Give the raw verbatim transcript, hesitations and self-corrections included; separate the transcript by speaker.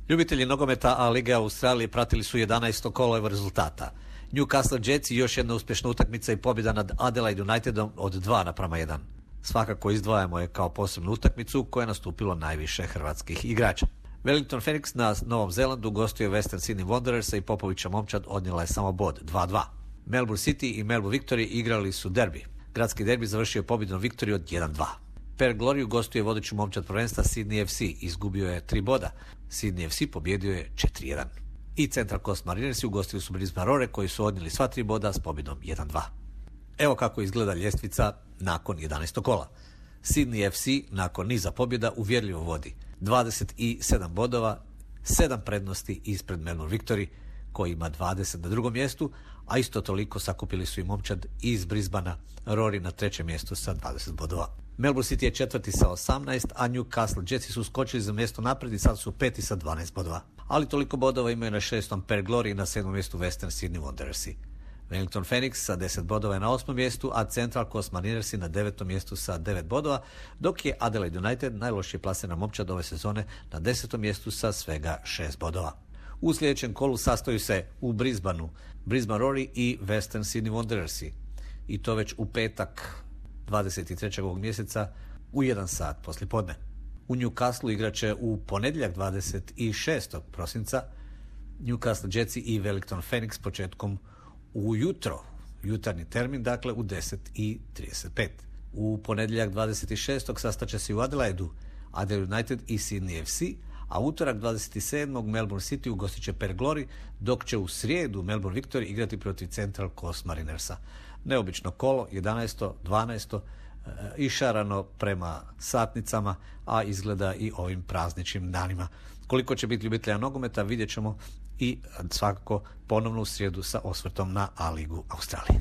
Speaker 1: Ljubitelji nogometa A Lige Australije pratili su jedanaesto kolo evo rezultata. Newcastle Jetsi još jedna uspješna utakmica i pobjeda nad Adelaide Unitedom od dva naprama jedan. Svakako izdvajamo je kao posebnu utakmicu koja je nastupilo najviše hrvatskih igrača. Wellington Phoenix na Novom Zelandu gostuje Western Sydney Wanderersa i Popovića momčad odnijela je samo bod dva dva. Melbourne City i Melbourne Victory igrali su derbi. Gradski derbi završio je pobjedom Victory od jedan dva. Perth Glory gostuje vodeću momčad prvenstva Sydney F C, izgubio je tri boda. Sydney F C pobjedio je četiri jedan. I Central Coast Marinersi ugostili su Brisbane Roar koji su odnijeli sva tri boda s pobjedom jedan dva. Evo kako izgleda ljestvica nakon jedanaestog kola. Sydney F C nakon niza pobjeda uvjerljivo vodi dvadeset sedam bodova, sedam prednosti ispred Melbourne Victory koji ima dvadeset na drugom mjestu, a isto toliko sakupili su i momčad iz Brisbanea Roar na trećem mjestu sa dvadeset bodova. Melbourne City je četvrti sa osamnaest, a Newcastle Jetsi su skočili za mjesto naprijed i sad su peti sa dvanaest bodova. Ali toliko bodova imaju na šestom Perth Glory i na sedmom mjestu Western Sydney Wanderersi. Wellington Phoenix sa deset bodova je na osmom mjestu, a Central Coast Marinersi na devetom mjestu sa devet bodova, dok je Adelaide United najlošije plasirana momčad ove sezone na desetom mjestu sa svega šest bodova. U sljedećem kolu sastoju se u Brisbaneu Brisbane Roar i Western Sydney Wanderersi. I to već u petak dvadeset trećeg ovog mjeseca u jedan sat poslijepodne. U Newcastle igraće u ponedjeljak dvadeset šestog prosinca Newcastle Jetsi i Wellington Phoenix početkom ujutro, jutarnji termin, dakle u deset i trideset pet. U ponedjeljak dvadeset šestog sastaće se u Adelaidu Adelaide United i Sydney F C, a utorak dvadeset sedmog Melbourne City ugostit će Perth Glory, dok će u srijedu Melbourne Victory igrati protiv Central Coast Marinersa. Neobično kolo, jedanaesto dvanaesto, išarano prema satnicama, a izgleda i ovim prazničnim danima. Koliko će biti ljubitelja nogometa vidjet ćemo i svakako ponovno u srijedu sa osvrtom na A Ligu Australije.